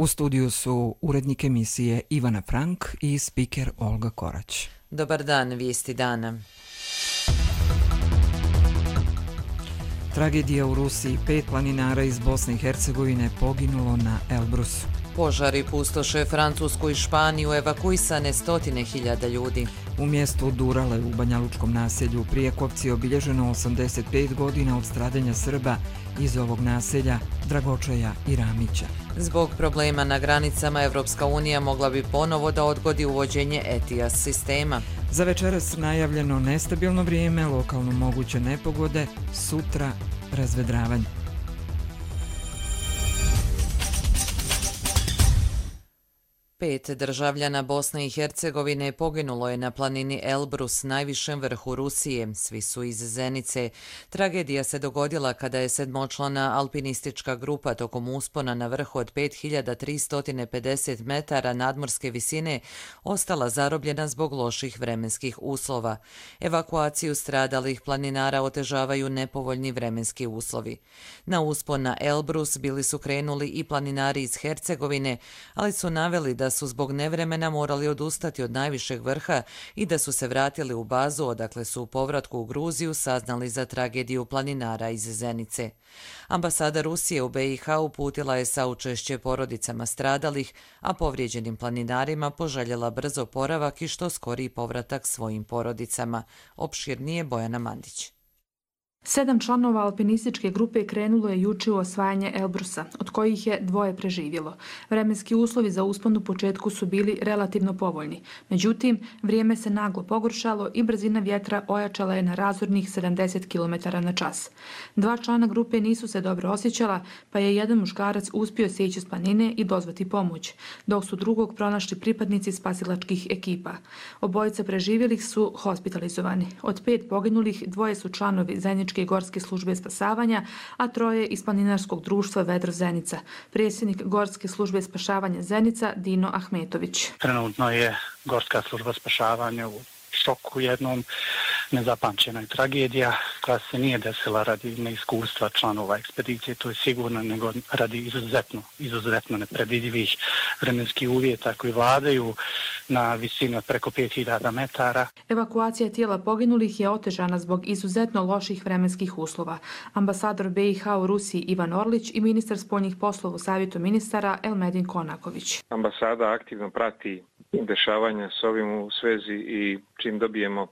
U studiju su urednik emisije Ivana Frank i spiker Olga Korać. Dobar dan, vijesti dana. Tragedija u Rusiji, 5 planinara iz Bosne i Hercegovine poginulo na Elbrusu. Požari pustoše Francusku i Španiju, evakuisane stotine hiljada ljudi. U mjestu Durale u banjalučkom naselju Prijekovci obilježeno 85 godina od stradanja Srba iz ovog naselja, Dragočaja i Ramića. Zbog problema na granicama, Evropska unija mogla bi ponovo da odgodi uvođenje ETIAS sistema. Za večeras najavljeno nestabilno vrijeme, lokalno moguće nepogode, sutra razvedravanje. Pet državljana Bosne i Hercegovine poginulo je na planini Elbrus, najvišem vrhu Rusije. Svi su iz Zenice. Tragedija se dogodila kada je sedmočlana alpinistička grupa tokom uspona na vrhu od 5350 metara nadmorske visine ostala zarobljena zbog loših vremenskih uslova. Evakuaciju stradalih planinara otežavaju nepovoljni vremenski uslovi. Na uspon na Elbrus bili su krenuli i planinari iz Hercegovine, ali su naveli da su zbog nevremena morali odustati od najvišeg vrha i da su se vratili u bazu, odakle su u povratku u Gruziju saznali za tragediju planinara iz Zenice. Ambasada Rusije u BiH uputila je saučešće porodicama stradalih, a povrijeđenim planinarima poželjela brz oporavak i što skoriji povratak svojim porodicama. Opširnije Bojana Mandić. 7 članova alpinističke grupe krenulo je juče u osvajanje Elbrusa, od kojih je 2 preživjelo. Vremenski uslovi za uspon u početku su bili relativno povoljni. Međutim, vrijeme se naglo pogoršalo i brzina vjetra ojačala je na razornih 70 km/h. 2 člana grupe nisu se dobro osjećala, pa je jedan muškarac uspio sjeći s planine i dozvati pomoć, dok su drugog pronašli pripadnici spasilačkih ekipa. Obojica preživjelih su hospitalizovani. Od 5 poginulih 2 su članovi zajedničke Gorske službe spasavanja, a 3 iz planinarskog društva Vedro Zenica. Predsjednik Gorske službe spašavanja Zenica Dino Ahmetović. Trenutno je Gorska služba spašavanja u šoku jednom, nezapamćena tragedija koja se nije desila radi neiskustva članova ekspedicije, to je sigurno, nego radi izuzetno nepredvidivih vremenskih uvjeta koji vladaju na visini od preko 5000 metara. Evakuacija tijela poginulih je otežana zbog izuzetno loših vremenskih uslova. Ambasador BiH u Rusiji Ivan Orlić i ministar spoljnih poslova u Savjetu ministara Elmedin Konaković. Ambasada aktivno prati dešavanja s ovim u svezi i čim dobijemo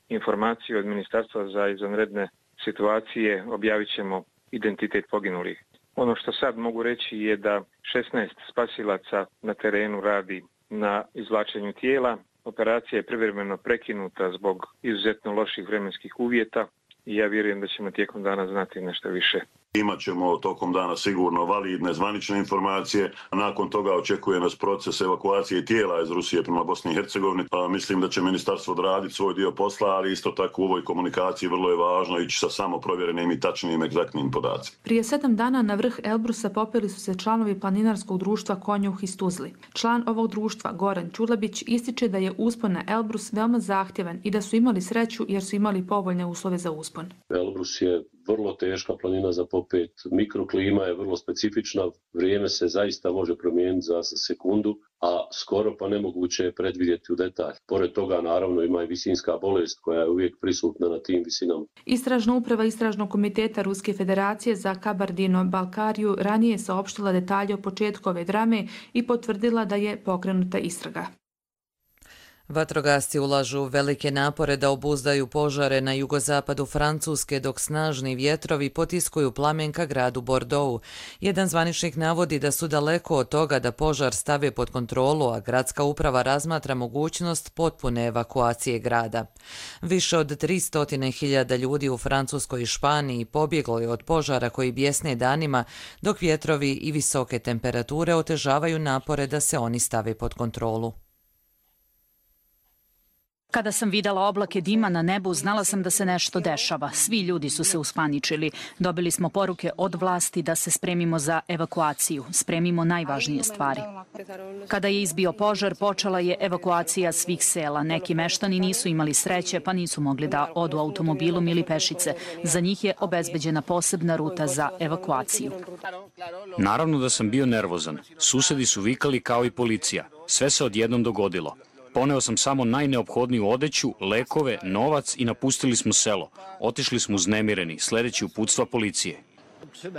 informaciju od Ministarstva za izvanredne situacije objavit ćemo identitet poginulih. Ono što sad mogu reći je da 16 spasilaca na terenu radi na izvlačenju tijela. Operacija je privremeno prekinuta zbog izuzetno loših vremenskih uvjeta i ja vjerujem da ćemo tijekom dana znati nešto više. Imat ćemo tokom dana sigurno validne zvanične informacije. Nakon toga očekuje nas proces evakuacije tijela iz Rusije prema Bosni i Hercegovini. Mislim da će ministarstvo odraditi svoj dio posla, ali isto tako u ovoj komunikaciji vrlo je važno ići sa samo provjerenim i tačnim, egzaktnim podacima. Prije 7 dana na vrh Elbrusa popeli su se članovi planinarskog društva Konjuh iz Tuzli. Član ovog društva, Goran Čulabić, ističe da je uspon na Elbrus veoma zahtjevan i da su imali sreću jer su imali povoljne uslove za uspon. Elbrus je vrlo teška planina za popet, mikroklima je vrlo specifična, vrijeme se zaista može promijeniti za sekundu, a skoro pa nemoguće je predvidjeti u detalj. Pored toga naravno ima i visinska bolest koja je uvijek prisutna na tim visinama. Istražna uprava Istražnog komiteta Ruske federacije za Kabardino-Balkariju ranije je saopštila detalje o početku ove drame i potvrdila da je pokrenuta istraga. Vatrogasci ulažu velike napore da obuzdaju požare na jugozapadu Francuske dok snažni vjetrovi potiskuju plamen ka gradu Bordeaux. Jedan zvaničnik navodi da su daleko od toga da požar stave pod kontrolu, a gradska uprava razmatra mogućnost potpune evakuacije grada. Više od 300.000 ljudi u Francuskoj i Španiji pobjeglo je od požara koji bjesne danima, dok vjetrovi i visoke temperature otežavaju napore da se oni stave pod kontrolu. Kada sam videla oblake dima na nebu, znala sam da se nešto dešava. Svi ljudi su se uspaničili. Dobili smo poruke od vlasti da se spremimo za evakuaciju, spremimo najvažnije stvari. Kada je izbio požar, počela je evakuacija svih sela. Neki meštani nisu imali sreće, pa nisu mogli da odu automobilom ili pešice. Za njih je obezbeđena posebna ruta za evakuaciju. Naravno da sam bio nervozan. Susedi su vikali kao i policija. Sve se odjednom dogodilo. Poneo sam samo najneophodniju odeću, lekove, novac i napustili smo selo. Otišli smo uznemireni, sledeći uputstva policije.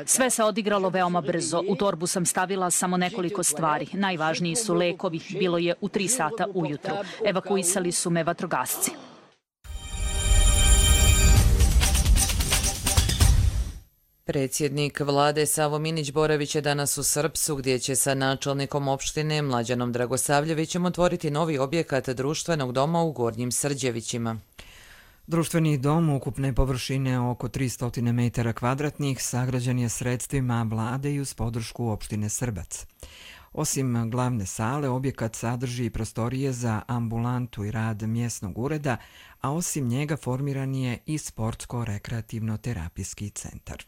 Sve se odigralo veoma brzo. U torbu sam stavila samo nekoliko stvari. Najvažniji su lekovi. Bilo je u 3 sata ujutru. Evakuisali su me vatrogasci. Predsjednik vlade Savo Minić Boravić je danas u Srpsu, gdje će sa načelnikom opštine Mlađanom Dragosavljevićem otvoriti novi objekat društvenog doma u Gornjim Srđevićima. Društveni dom ukupne površine oko 300 metara kvadratnih sagrađen je sredstvima vlade i uz podršku opštine Srbac. Osim glavne sale, objekat sadrži i prostorije za ambulantu i rad mjesnog ureda, a osim njega formiran je i sportsko-rekreativno-terapijski centar.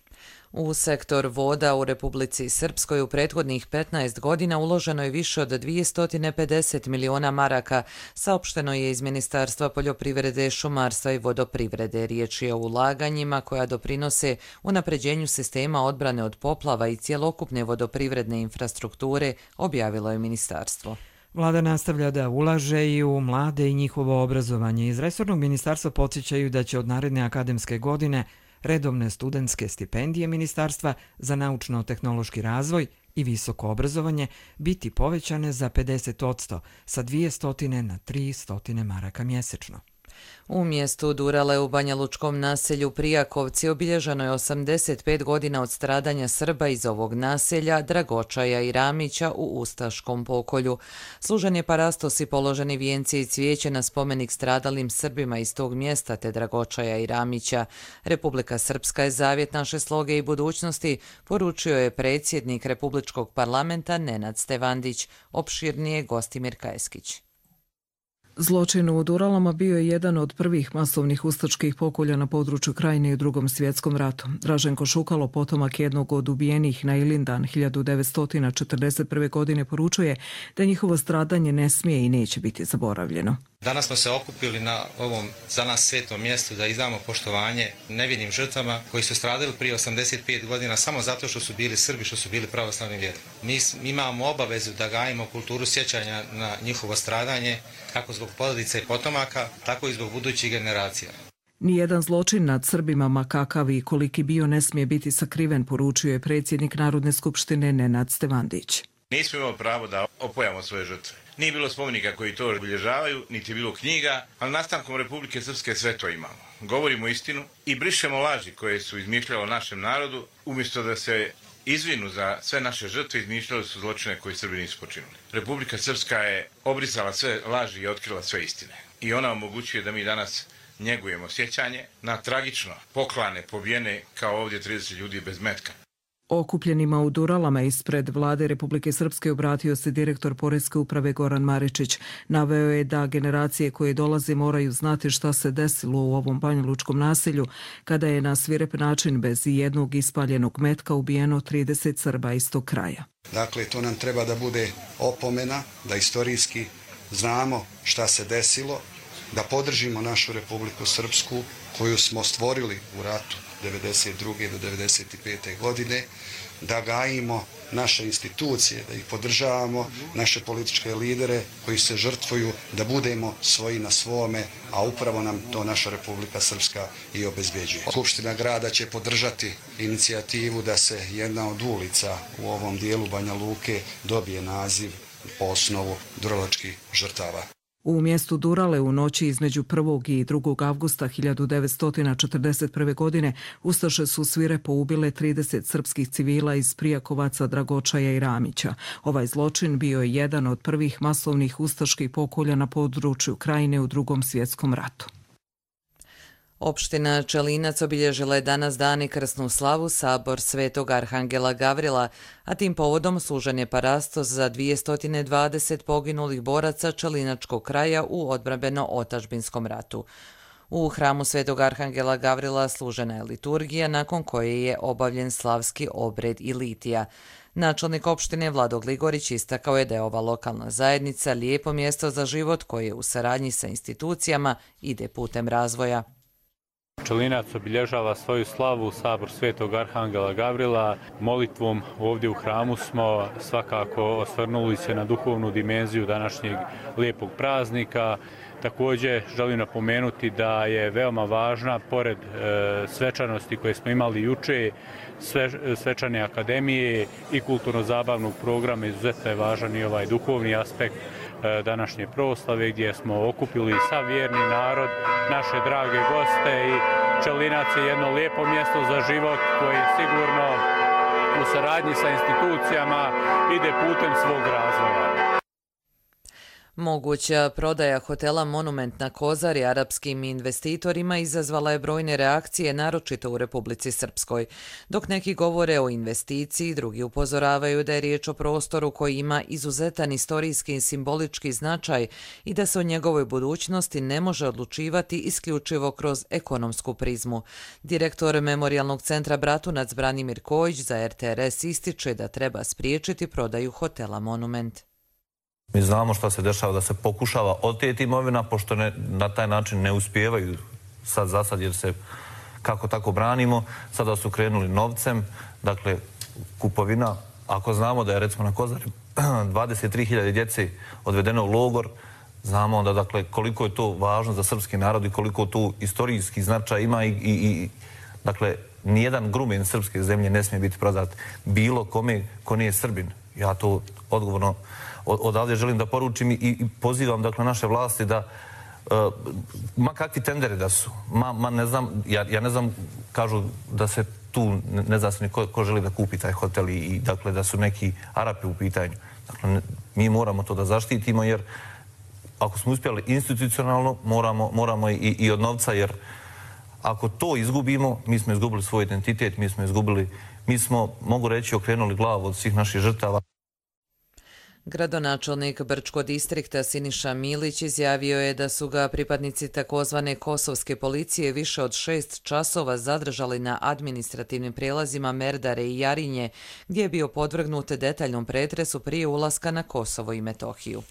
U sektor voda u Republici Srpskoj u prethodnih 15 godina uloženo je više od 250 miliona maraka, saopšteno je iz Ministarstva poljoprivrede, šumarstva i vodoprivrede. Riječ je o ulaganjima koja doprinose unapređenju sistema odbrane od poplava i cjelokupne vodoprivredne infrastrukture, objavilo je ministarstvo. Vlada nastavlja da ulaže i u mlade i njihovo obrazovanje. Iz resornog ministarstva podsjećaju da će od naredne akademske godine redovne studentske stipendije Ministarstva za naučno-tehnološki razvoj i visoko obrazovanje biti povećane za 50%, sa 200 na 300 maraka mjesečno. U mjestu Durale u Banjalučkom naselju Prijakovci obilježeno je 85 godina od stradanja Srba iz ovog naselja, Dragočaja i Ramića u ustaškom pokolju. Služen je parastos i položeni vijenci i cvijeće na spomenik stradalim Srbima iz tog mjesta te Dragočaja i Ramića. Republika Srpska je zavjet naše sloge i budućnosti, poručio je predsjednik Republičkog parlamenta Nenad Stevandić, opširnije Gostimir Kajeskić. Zločin u Duralama bio je jedan od prvih masovnih ustaških pokolja na području Krajine i u Drugom svjetskom ratu. Draženko Šukalo, potomak jednog od ubijenih na Ilindan 1941. godine, poručuje da njihovo stradanje ne smije i neće biti zaboravljeno. Danas smo se okupili na ovom za nas svetom mjestu da izdamo poštovanje nevinim žrtvama koji su stradali prije 85 godina samo zato što su bili Srbi, što su bili pravoslavni vjernici. Mi imamo obavezu da gajimo kulturu sjećanja na njihovo stradanje, kako zbog porodica i potomaka, tako i zbog budućih generacija. Nijedan zločin nad Srbima, ma kakav i koliki bio, ne smije biti sakriven, poručuje je predsjednik Narodne skupštine Nenad Stevandić. Nismo imali pravo da opojamo svoje žrtve. Nije bilo spomenika koji to obilježavaju, niti je bilo knjiga, ali nastankom Republike Srpske sve to imamo. Govorimo istinu i brišemo laži koje su izmišljale o našem narodu, umjesto da se izvinu za sve naše žrtve, izmišljali su zločine koje Srbi nisu počinili. Republika Srpska je obrisala sve laži i otkrila sve istine. I ona omogućuje da mi danas njegujemo sjećanje na tragično poklane, pobijene kao ovdje 30 ljudi bez metka. Okupljenima u Duralama ispred vlade Republike Srpske obratio se direktor Poreske uprave Goran Maričić. Naveo je da generacije koje dolaze moraju znati šta se desilo u ovom banjalučkom naselju kada je na svirep način bez jednog ispaljenog metka ubijeno 30 Srba iz tog kraja. Dakle, to nam treba da bude opomena, da istorijski znamo šta se desilo, da podržimo našu Republiku Srpsku koju smo stvorili u ratu 1992. do 1995. godine, da gajimo naše institucije, da ih podržavamo, naše političke lidere koji se žrtvuju, da budemo svoji na svome, a upravo nam to naša Republika Srpska i obezbeđuje. Skupština grada će podržati inicijativu da se jedna od ulica u ovom dijelu Banja Luke dobije naziv po osnovu duralačkih žrtava. U mjestu Durale u noći između 1. i 2. avgusta 1941. godine ustaše su svirepo ubile 30 srpskih civila iz Prijakovaca, Dragočaja i Ramića. Ovaj zločin bio je jedan od prvih masovnih ustaških pokolja na području Krajine u Drugom svjetskom ratu. Opština Čelinac obilježila je danas dan i krsnu slavu Sabor Svetog Arhangela Gavrila, a tim povodom služen je parastos za 220 poginulih boraca Čelinačkog kraja u odbrambeno-otadžbinskom ratu. U hramu Svetog Arhangela Gavrila služena je liturgija, nakon koje je obavljen slavski obred i litija. Načelnik opštine Vlado Gligorić istakao je da je ova lokalna zajednica lijepo mjesto za život koje u saradnji sa institucijama ide putem razvoja. Čelinac obilježava svoju slavu Sabor Svetog Arhangela Gavrila. Molitvom ovdje u hramu smo svakako osvrnuli se na duhovnu dimenziju današnjeg lijepog praznika. Također želim napomenuti da je veoma važna, pored svečanosti koje smo imali juče, svečane akademije i kulturno-zabavnog programa, izuzetno je važan i ovaj duhovni aspekt današnje proslave gdje smo okupili sav vjerni narod, naše drage goste i Čelinac je jedno lijepo mjesto za život koje sigurno u saradnji sa institucijama ide putem svog razvoja. Moguća prodaja hotela Monument na Kozari arapskim investitorima izazvala je brojne reakcije, naročito u Republici Srpskoj. Dok neki govore o investiciji, drugi upozoravaju da je riječ o prostoru koji ima izuzetan istorijski i simbolički značaj i da se o njegovoj budućnosti ne može odlučivati isključivo kroz ekonomsku prizmu. Direktor Memorijalnog centra Bratunac Branimir Kojić za RTRS ističe da treba spriječiti prodaju hotela Monument. Mi znamo šta se dešava, da se pokušava oteti imovina, pošto na taj način ne uspijevaju sad za sad, jer se kako tako branimo. Sada su krenuli novcem, dakle kupovina. Ako znamo da je recimo na Kozari 23.000 djece odvedeno u logor, znamo onda dakle koliko je to važno za srpski narod i koliko tu istorijski značaj ima i dakle nijedan grumen srpske zemlje ne smije biti prodat bilo kome ko nije Srbin. Ja to odgovorno odavdje želim da poručim i pozivam dakle naše vlasti da ma kakvi tenderi da su, ne znam, ja ne znam, kažu da se tu ne zna se ko želi da kupi taj hotel i dakle da su neki Arapi u pitanju. Dakle, mi moramo to da zaštitimo jer ako smo uspjeli institucionalno, moramo i od novca, jer ako to izgubimo, mi smo izgubili svoj identitet, mi smo, mogu reći, okrenuli glavu od svih naših žrtava. Gradonačelnik Brčkog distrikta Siniša Milić izjavio je da su ga pripadnici takozvane kosovske policije više od 6 časova zadržali na administrativnim prijelazima Merdare i Jarinje, gdje je bio podvrgnut detaljnom pretresu prije ulaska na Kosovo i Metohiju.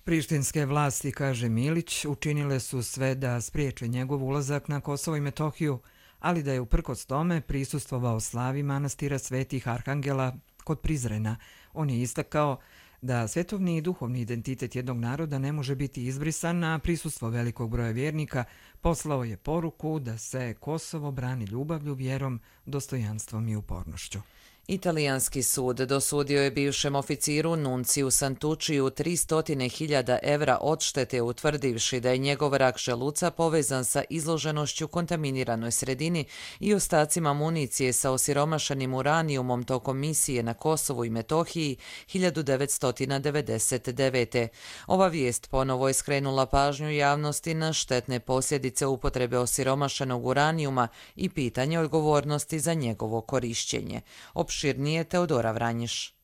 Prištinske vlasti, kaže Milić, učinile su sve da spriječe njegov ulazak na Kosovo i Metohiju, ali da je uprkos tome prisustvovao slavi manastira Svetih Arhangela kod Prizrena. On je istakao da svetovni i duhovni identitet jednog naroda ne može biti izbrisan, a prisustvo velikog broja vjernika poslao je poruku da se Kosovo brani ljubavlju, vjerom, dostojanstvom i upornošću. Italijanski sud dosudio je bivšem oficiru Nunciju Santučiju 300.000 evra odštete, utvrdivši da je njegov rak želuca povezan sa izloženošću kontaminiranoj sredini i ostacima municije sa osiromašenim uranijumom tokom misije na Kosovu i Metohiji 1999. Ova vijest ponovo je skrenula pažnju javnosti na štetne posljedice upotrebe osiromašenog uranijuma i pitanje odgovornosti za njegovo korišćenje. Opširnije Teodora Vranjiš.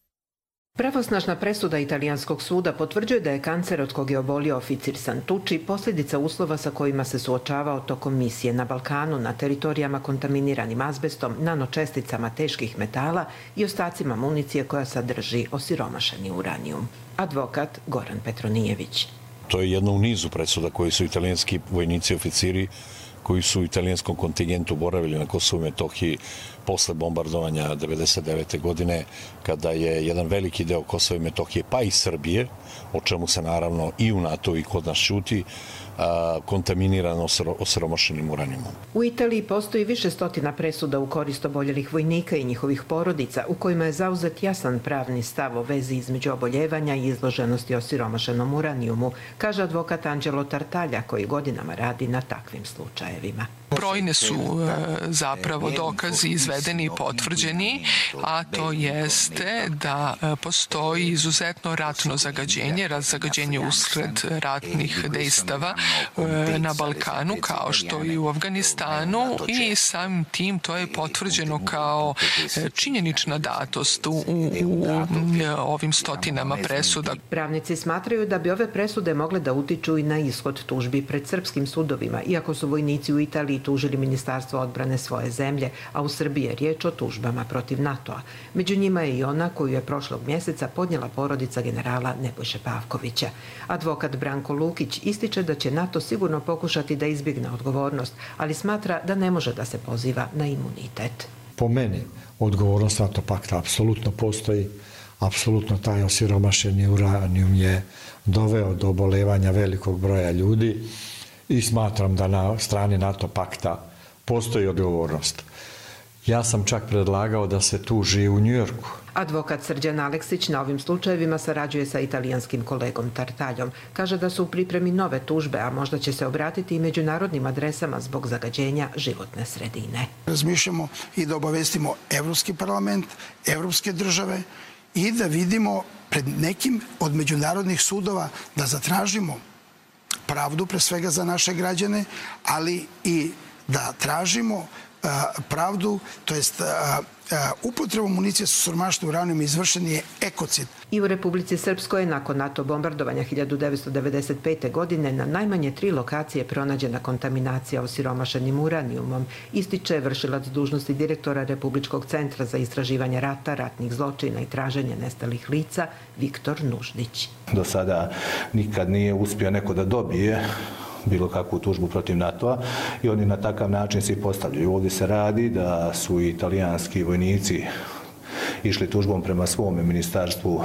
Pravosnažna presuda italijanskog suda potvrđuje da je kancer od kog je obolio oficir Santucci posljedica uslova sa kojima se suočavao tokom misije na Balkanu na teritorijama kontaminiranim azbestom, nanočesticama teških metala i ostacima municije koja sadrži osiromašeni uranijum. Advokat Goran Petronijević. To je jedno u nizu presuda koji su italijanski vojnici i oficiri koji su u italijanskom kontingentu boravili na Kosovu i Metohiji posle bombardovanja 1999. godine, kada je jedan veliki deo Kosova i Metohije, pa i Srbije, o čemu se naravno i u NATO i kod nas šuti, kontaminirano osiromašenim uranijumom. U Italiji postoji više stotina presuda u korist oboljelih vojnika i njihovih porodica, u kojima je zauzet jasan pravni stav o vezi između oboljevanja i izloženosti osiromašenom uranijumu, kaže advokat Angelo Tartaglia, koji godinama radi na takvim slučajevima. Brojne su zapravo dokazi izvedeni i potvrđeni, a to jeste da postoji izuzetno ratno zagađenje usred ratnih dejstava na Balkanu, kao što i u Afganistanu, i samim tim to je potvrđeno kao činjenična datost u ovim stotinama presuda. Pravnici smatraju da bi ove presude mogle da utiču i na ishod tužbi pred srpskim sudovima, iako su vojnici u Italiji tužili Ministarstvo odbrane svoje zemlje, a u Srbiji je riječ o tužbama protiv NATO-a. Među njima je i ona koju je prošlog mjeseca podnijela porodica generala Nebojše Pavkovića. Advokat Branko Lukić ističe da će NATO sigurno pokušati da izbjegne odgovornost, ali smatra da ne može da se poziva na imunitet. Po meni, odgovornost NATO pakta apsolutno postoji. Apsolutno taj osiromašeni uranijum je doveo do obolevanja velikog broja ljudi i smatram da na strani NATO pakta postoji odgovornost. Ja sam čak predlagao da se tuži u Njujorku. Advokat Srđan Aleksić na ovim slučajevima sarađuje sa italijanskim kolegom Tartaljom. Kaže da su u pripremi nove tužbe, a možda će se obratiti i međunarodnim adresama zbog zagađenja životne sredine. Razmišljamo i da obavestimo Evropski parlament, evropske države i da vidimo pred nekim od međunarodnih sudova da zatražimo pravdu pre svega za naše građane, ali i da tražimo pravdu, to jest upotrebom municije sa siromašnim uranijumom izvršen je ekocid. I u Republici Srpskoj je nakon NATO bombardovanja 1995. godine na najmanje 3 lokacije pronađena kontaminacija osiromašenim uranijumom, ističe vršilac dužnosti direktora Republičkog centra za istraživanje rata, ratnih zločina i traženje nestalih lica Viktor Nuždić. Do sada nikad nije uspio neko da dobije bilo kakvu tužbu protiv NATO-a i oni na takav način se postavljaju. Ovdje se radi da su italijanski vojnici išli tužbom prema svome ministarstvu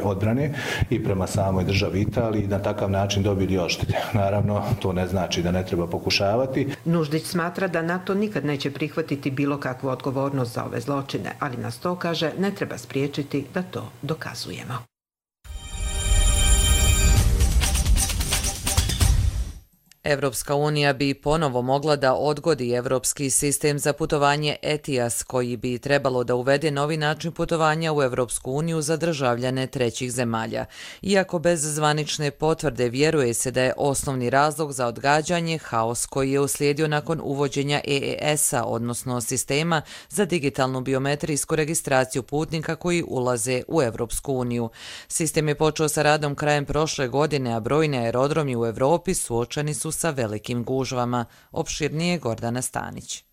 odbrane i prema samoj državi Italiji i na takav način dobili odštete. Naravno, to ne znači da ne treba pokušavati. Nuždić smatra da NATO nikad neće prihvatiti bilo kakvu odgovornost za ove zločine, ali nas to, kaže, ne treba spriječiti da to dokazujemo. Evropska unija bi ponovo mogla da odgodi evropski sistem za putovanje ETIAS, koji bi trebalo da uvede novi način putovanja u Evropsku uniju za državljane trećih zemalja. Iako bez zvanične potvrde, vjeruje se da je osnovni razlog za odgađanje haos koji je uslijedio nakon uvođenja EES-a, odnosno sistema za digitalnu biometrijsku registraciju putnika koji ulaze u Evropsku uniju. Sistem je počeo sa radom krajem prošle godine, a brojni aerodromi u Evropi suočeni su sa velikim gužvama. Opširnije Gordana Stanić.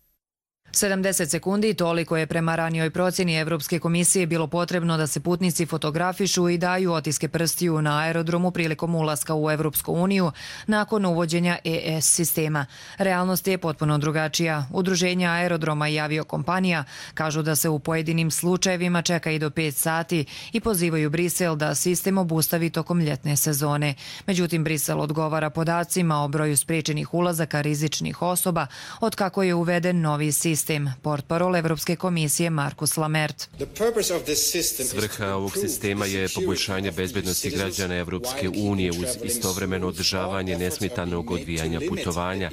70 sekundi, toliko je prema ranijoj procjeni Evropske komisije bilo potrebno da se putnici fotografišu i daju otiske prstiju na aerodromu prilikom ulaska u Evropsku uniju nakon uvođenja EES sistema. Realnost je potpuno drugačija. Udruženja aerodroma i aviokompanija kažu da se u pojedinim slučajevima čeka i do 5 sati i pozivaju Brisel da sistem obustavi tokom ljetne sezone. Međutim, Brisel odgovara podacima o broju spriječenih ulazaka rizičnih osoba od kako je uveden novi sistem. Portparol Evropske komisije Markus Lamert. Svrha ovog sistema je poboljšanje bezbednosti građana Evropske unije uz istovremeno održavanje nesmetanog odvijanja putovanja.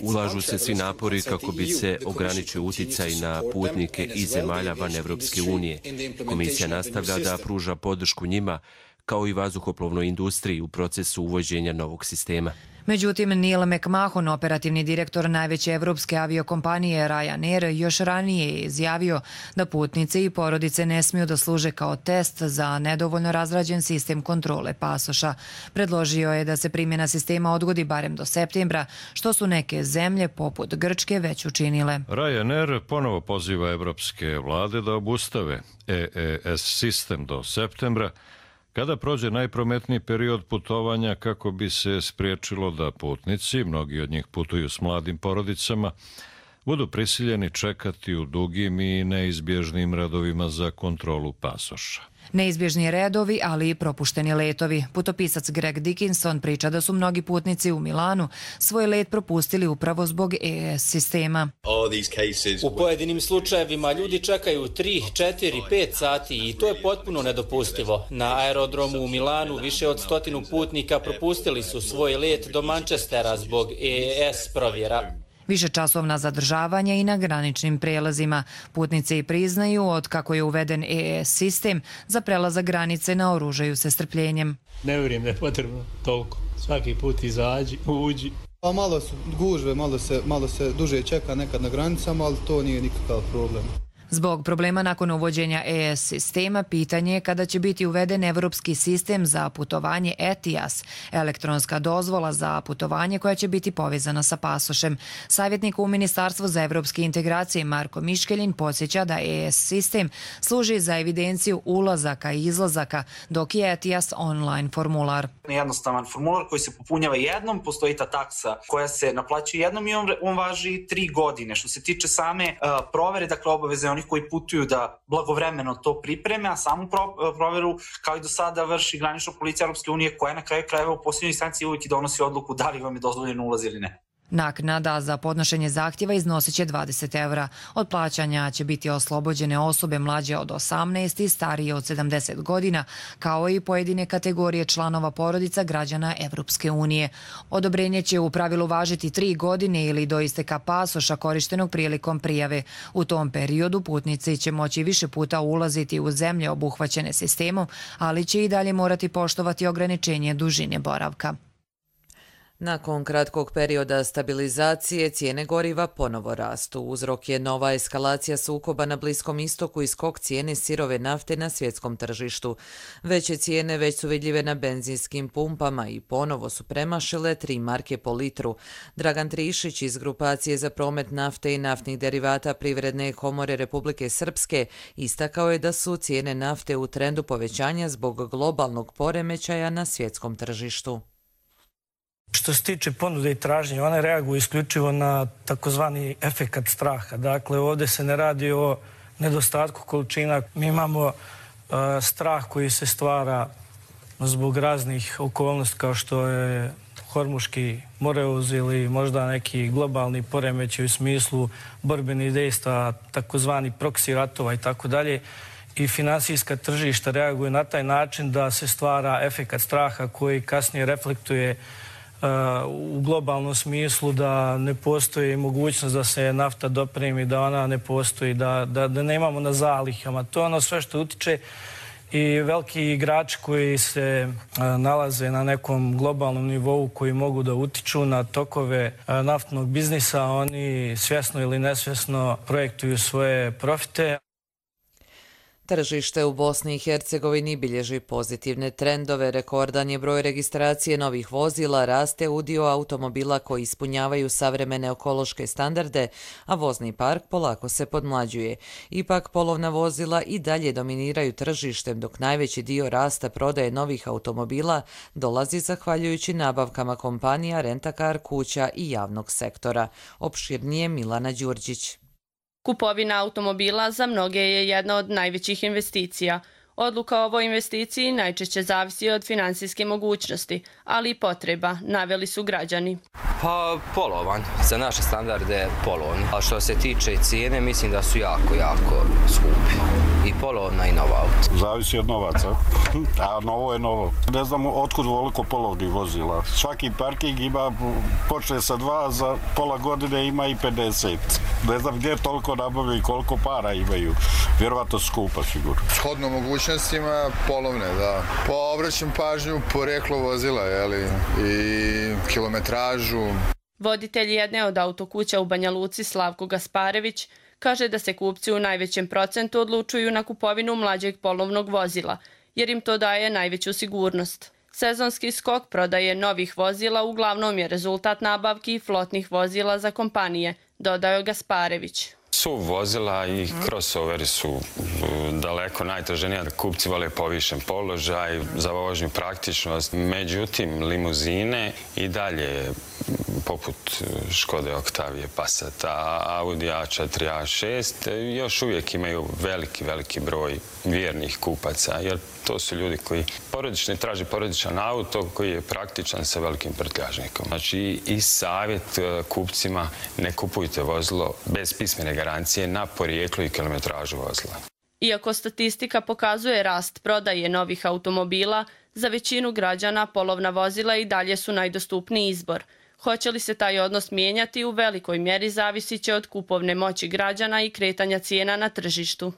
Ulažu se svi napori kako bi se ograničio uticaj na putnike iz zemalja van Evropske unije. Komisija nastavlja da pruža podršku njima kao i vazduhoplovnoj industriji u procesu uvođenja novog sistema. Međutim, Neil McMahon, operativni direktor najveće evropske aviokompanije Ryanair, još ranije je izjavio da putnici i porodice ne smiju da služe kao test za nedovoljno razrađen sistem kontrole pasoša. Predložio je da se primjena sistema odgodi barem do septembra, što su neke zemlje poput Grčke već učinile. Ryanair ponovo poziva evropske vlade da obustave EES sistem do septembra, kada prođe najprometniji period putovanja kako bi se spriječilo da putnici, mnogi od njih putuju s mladim porodicama, budu prisiljeni čekati u dugim i neizbježnim redovima za kontrolu pasoša. Neizbježni redovi, ali i propušteni letovi. Putopisac Greg Dickinson priča da su mnogi putnici u Milanu svoj let propustili upravo zbog EES sistema. U pojedinim slučajevima ljudi čekaju 3, 4, 5 sati i to je potpuno nedopustivo. Na aerodromu u Milanu više od 100 putnika propustili su svoj let do Manchestera zbog EES provjera. Višečasovna zadržavanja i na graničnim prijelazima. Putnici priznaju od kako je uveden EES sistem za prelazak granice naoružaju se strpljenjem. Ne vjerujem da je potrebno toliko. Svaki put izađi, uđi. Pa malo su gužve, malo se duže čeka nekad na granicama, ali to nije nikakav problem. Zbog problema nakon uvođenja EES sistema, pitanje je kada će biti uveden evropski sistem za putovanje ETIAS, elektronska dozvola za putovanje koja će biti povezana sa pasošem. Savjetnik u Ministarstvu za evropske integracije Marko Miškeljin podsjeća da EES sistem služi za evidenciju ulazaka i izlazaka, dok je ETIAS online formular. Jednostavan formular koji se popunjava jednom, postoji ta taksa koja se naplaćuje jednom i on važi 3 godine. Što se tiče same provere, dakle obaveze onih koji putuju da blagovremeno to pripreme, a samu proveru kao i do sada vrši granična policija Europske unije koja na kraju krajeva u posljednjoj instanciji uvijek donosi odluku da li vam je dozvoljeno ulaz ili ne. Naknada za podnošenje zahtjeva iznosit će 20 evra. Od plaćanja će biti oslobođene osobe mlađe od 18 i starije od 70 godina, kao i pojedine kategorije članova porodica građana Evropske unije. Odobrenje će u pravilu važiti 3 godine ili do isteka pasoša korištenog prilikom prijave. U tom periodu putnici će moći više puta ulaziti u zemlje obuhvaćene sistemom, ali će i dalje morati poštovati ograničenje dužine boravka. Nakon kratkog perioda stabilizacije, cijene goriva ponovo rastu. Uzrok je nova eskalacija sukoba na Bliskom istoku i skok cijene sirove nafte na svjetskom tržištu. Veće cijene već su vidljive na benzinskim pumpama i ponovo su premašile 3 marke po litru. Dragan Trišić iz Grupacije za promet nafte i naftnih derivata Privredne komore Republike Srpske istakao je da su cijene nafte u trendu povećanja zbog globalnog poremećaja na svjetskom tržištu. Što se tiče ponude i tražnje, one reaguju isključivo na takozvani efekat straha. Dakle, ovdje se ne radi o nedostatku količina. Mi imamo strah koji se stvara zbog raznih okolnosti kao što je Hormuški moreuz ili možda neki globalni poremećaj u smislu borbenih dejstva, takozvani proksi ratova i tako dalje. I finansijska tržišta reaguju na taj način da se stvara efekat straha koji kasnije reflektuje u globalnom smislu da ne postoji mogućnost da se nafta dopremi, da ona ne postoji, da nemamo na zalihama. To je ono sve što utiče i veliki igrači koji se nalaze na nekom globalnom nivou koji mogu da utiču na tokove naftnog biznisa, oni svjesno ili nesvjesno projektuju svoje profite. Tržište u Bosni i Hercegovini bilježi pozitivne trendove. Rekordan je broj registracije novih vozila, raste udio automobila koji ispunjavaju savremene ekološke standarde, a vozni park polako se podmlađuje. Ipak polovna vozila i dalje dominiraju tržištem, dok najveći dio rasta prodaje novih automobila dolazi zahvaljujući nabavkama kompanija, rentakar, kuća i javnog sektora. Opširnije Milana Đurđić. Kupovina automobila za mnoge je jedna od najvećih investicija. Odluka o ovoj investiciji najčešće zavisi od finansijske mogućnosti, ali i potreba, naveli su građani. Pa polovan, za naše standarde polovan. A što se tiče cijene, mislim da su jako skupi. I polovna i nova auto. Zavisi od novaca, a novo je novo. Ne znam otkud voliko polovnih vozila. Svaki parking ima, počne sa 2, za pola godine ima i 50. Ne znam gdje toliko nabavljaju i koliko para imaju. Vjerovatno skupa sigurno. Shodno mogućnostima polovne, da. Obraćam pažnju poreklo vozila, i kilometražu. Voditelj jedne od autokuća u Banja Luci Slavko Gasparević kaže da se kupci u najvećem procentu odlučuju na kupovinu mlađeg polovnog vozila, jer im to daje najveću sigurnost. Sezonski skok prodaje novih vozila uglavnom je rezultat nabavki flotnih vozila za kompanije, dodao Gasparević. SUV vozila i crossoveri su daleko najtraženija. Kupci vole povišen položaj, za vožnju praktičnost. Međutim, limuzine i dalje, poput Škode Octavije, Passata, Audi A4, A6, još uvijek imaju veliki broj vjernih kupaca, jer to su ljudi koji traže porodičan auto koji je praktičan sa velikim prtljažnikom. Znači i savjet kupcima: ne kupujte vozilo bez pismene garancije na porijeklo i kilometražu vozila. Iako statistika pokazuje rast prodaje novih automobila, za većinu građana polovna vozila i dalje su najdostupniji izbor. Hoće li se taj odnos mijenjati u velikoj mjeri zavisit će od kupovne moći građana i kretanja cijena na tržištu.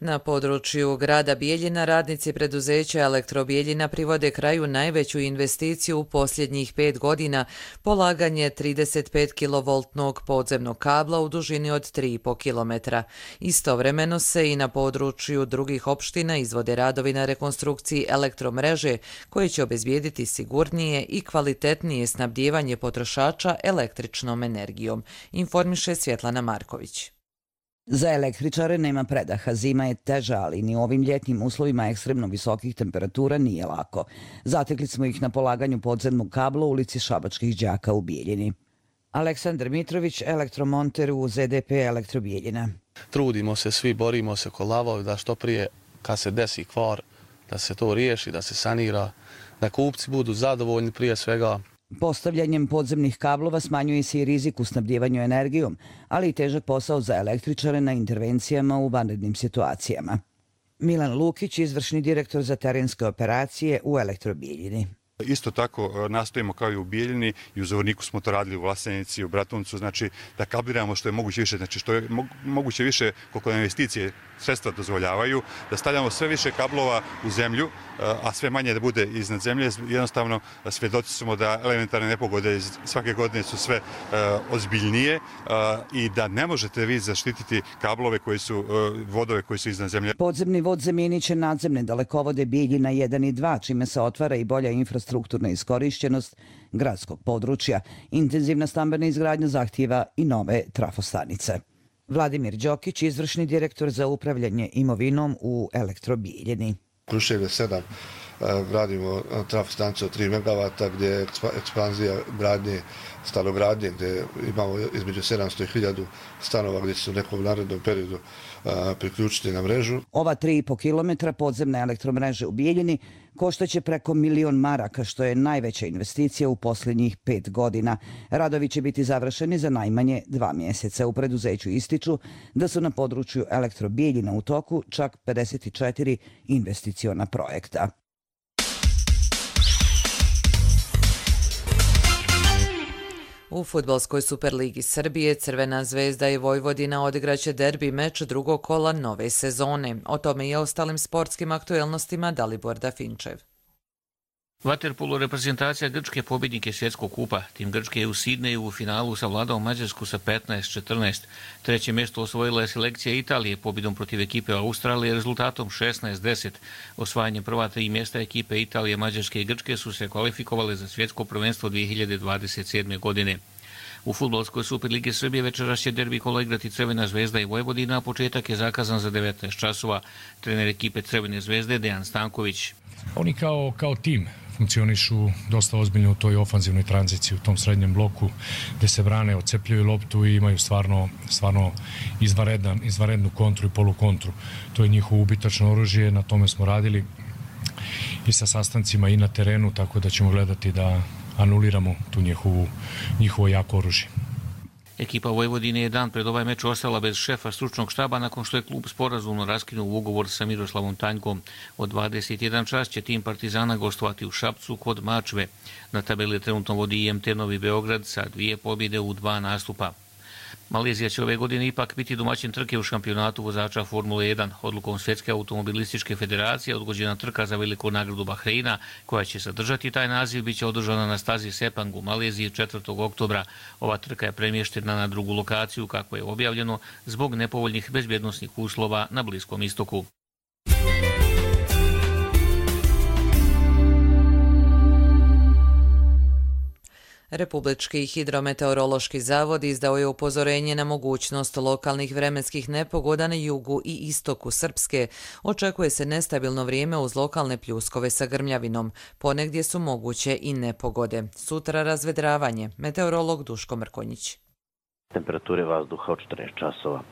Na području grada Bijeljina radnici preduzeća Elektrobijeljina privode kraju najveću investiciju u posljednjih 5 godina, polaganje 35 kV podzemnog kabla u dužini od 3,5 km. Istovremeno se i na području drugih opština izvode radovi na rekonstrukciji elektromreže koje će obezbijediti sigurnije i kvalitetnije snabdijevanje potrošača električnom energijom, informiše Svjetlana Marković. Za električare nema predaha, zima je teža, ali ni u ovim ljetnim uslovima ekstremno visokih temperatura nije lako. Zatekli smo ih na polaganju podzemnog kabla u ulici Šabačkih đaka u Bijeljini. Aleksandar Mitrović, elektromonter u ZDP Elektrobijeljina. Trudimo se, svi borimo se ko lavovi da što prije kad se desi kvar, da se to riješi, da se sanira, da kupci budu zadovoljni prije svega. Postavljanjem podzemnih kablova smanjuje se i rizik u snabdjevanju energijom, ali i težak posao za električare na intervencijama u vanrednim situacijama. Milan Lukić, izvršni direktor za terenske operacije u Elektrobijeljini. Isto tako nastojimo kao i u Bijeljini i u Zvorniku smo to radili u Vlasenici, u Bratuncu, znači da kabliramo što je moguće više, znači što je moguće više koliko investicije sredstva dozvoljavaju, da stavljamo sve više kablova u zemlju, a sve manje da bude iznad zemlje. Jednostavno svjedoci smo da elementarne nepogode svake godine su sve ozbiljnije i da ne možete vi zaštititi kablove koji su, vodove koji su iznad zemlje. Podzemni vod zamijenit će nadzemne dalekovode Bijeljina 1 i 2, čime se otvara i bolja infrastrukturna iskorišćenost gradskog područja. Intenzivna stambena izgradnja zahtijeva i nove trafostanice. Vladimir Đokić, izvršni direktor za upravljanje imovinom u Elektrobijeljini. Kruševlje 7 gradimo trafostanicu od 3 MW gdje je ekspanzija gradnje, stanogradnje gdje imamo između 700 i 1000 stanova gdje će se u nekom narednom periodu priključiti na mrežu. Ova 3,5 km podzemne elektromreže u Bijeljini koštaće preko 1 milion maraka, što je najveća investicija u posljednjih 5 godina. Radovi će biti završeni za najmanje 2 mjeseca. U preduzeću ističu da su na području Elektrobijeljina u toku čak 54 investiciona projekta. U fudbalskoj Superligi Srbije Crvena zvezda i Vojvodina odigraće derbi meč drugog kola nove sezone. O tome i ostalim sportskim aktuelnostima Dalibor Dafinčev. Vaterpolo reprezentacija Grčke pobjednike svjetskog kupa. Tim Grčke je u Sidneju u finalu savladao Mađarsku sa 15-14. Treće mjesto osvojila je selekcija Italije pobjedom protiv ekipe Australije rezultatom 16-10. Osvajanjem prva 3 mjesta ekipe Italije, Mađarske i Grčke su se kvalifikovale za svjetsko prvenstvo 2027. godine. U fudbalskoj Superligi Srbije večeras će derbi kola igrati Crvena zvezda i Vojvodina, a početak je zakazan za 19 časova. Trener ekipe Crvene zvezde Dejan Stanković. Oni kao tim funkcionišu dosta ozbiljno u toj ofanzivnoj tranziciji, u tom srednjem bloku gdje se brane, odcepljaju loptu i imaju stvarno izvanrednu kontru i polukontru. To je njihovo ubitačno oružje, na tome smo radili i sa sastancima i na terenu, tako da ćemo gledati da anuliramo tu njihovo jako oružje. Ekipa Vojvodine je dan pred ovaj meč ostala bez šefa stručnog štaba nakon što je klub sporazumno raskinuo ugovor sa Miroslavom Tanjkom. Od 21 čas će tim Partizana gostovati u Šapcu kod Mačve. Na tabeli trenutno vodi IMT Novi Beograd sa 2 pobjede u 2 nastupa. Malezija će ove godine ipak biti domaćin trke u šampionatu vozača Formule 1. Odlukom Svjetske automobilističke federacije odgođena trka za veliku nagradu Bahreina, koja će sadržati taj naziv, bit će održana na stazi Sepang u Maleziji 4. oktobra. Ova trka je premještena na drugu lokaciju, kako je objavljeno, zbog nepovoljnih bezbjednosnih uslova na Bliskom istoku. Republički hidrometeorološki zavod izdao je upozorenje na mogućnost lokalnih vremenskih nepogoda na jugu i istoku Srpske. Očekuje se nestabilno vrijeme uz lokalne pljuskove sa grmljavinom. Ponegdje su moguće i nepogode. Sutra razvedravanje. Meteorolog Duško Mrkonjić. Temperature vazduha od 14 časova.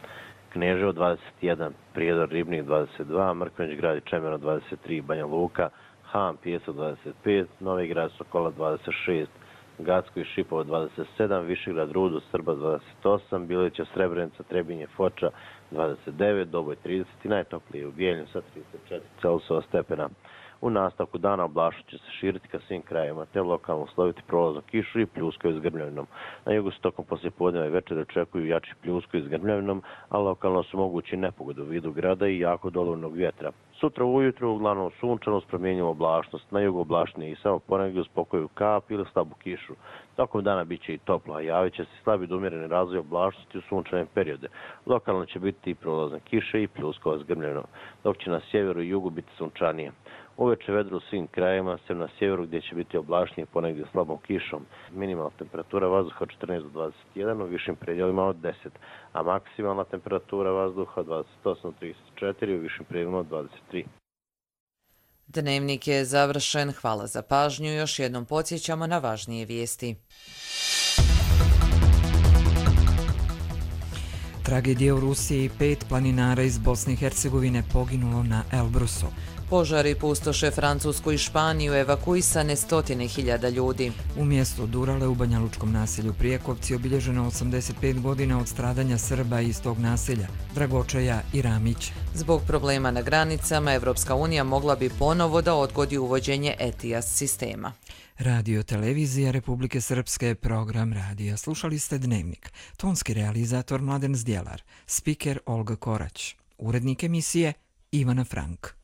Kneževo 21, Prijedor Ribnik 22, Mrkonjić grad i Čemer 23, Banja Luka, Han Pijeso 25, Novi grad Sokola 26, Gacko i Šipovo 27, Višegrad Rudo, Srba 28, Bilića, Srebrenica, Trebinje, Foča 29, Doboj 30 i najtoplije u Bijeljinu sa 34 Celsiusova stepena. U nastavku dana oblašnost će se širiti ka svim krajevima, te lokalno usloviti prolaznu kišu i pljusku s grmljavinom. Na jugu se tokom poslijepodneva i večera očekuju jači pljusku s grmljavinom, a lokalno su mogući nepogode u vidu grada i jako dolivnog vjetra. Sutra ujutru uglavnom sunčano s promjenjivom oblačnost, na jugu oblačnije i samo ponegdje uz pokoju kap ili slabu kišu. Tokom dana bit će i toplo, a javit će se slabi do umjereni razvoj oblačnosti u sunčane periode. Lokalno će biti i prolazne kiše i pljuskova s grmljavinom, dok će na sjeveru i jugu biti sunčanije. Uveče vedro u svim krajevima, sem na sjeveru gdje će biti oblačnije ponegdje slabom kišom. Minimalna temperatura vazduha od 14 do 21, u višim predjelima od 10, a maksimalna temperatura vazduha od 28 do 34, u višim predjelima od 23. Dnevnik je završen. Hvala za pažnju. Još jednom podsjećamo na važnije vijesti. Tragedija u Rusiji, 5 planinara iz Bosne i Hercegovine poginulo na Elbrusu. Požari pustoše Francusku i Španiju, evakuisane stotine hiljada ljudi. U mjestu Durale u banjalučkom naselju Prijekovci obilježeno 85 godina od stradanja Srba iz tog naselja, Dragočaja i Ramića. Zbog problema na granicama, Evropska unija mogla bi ponovo da odgodi uvođenje ETIAS sistema. Radio Televizija Republike Srpske, program radija. Slušali ste Dnevnik. Tonski realizator Mladen Zdjelar, spiker Olga Korać, urednik emisije Ivana Frank.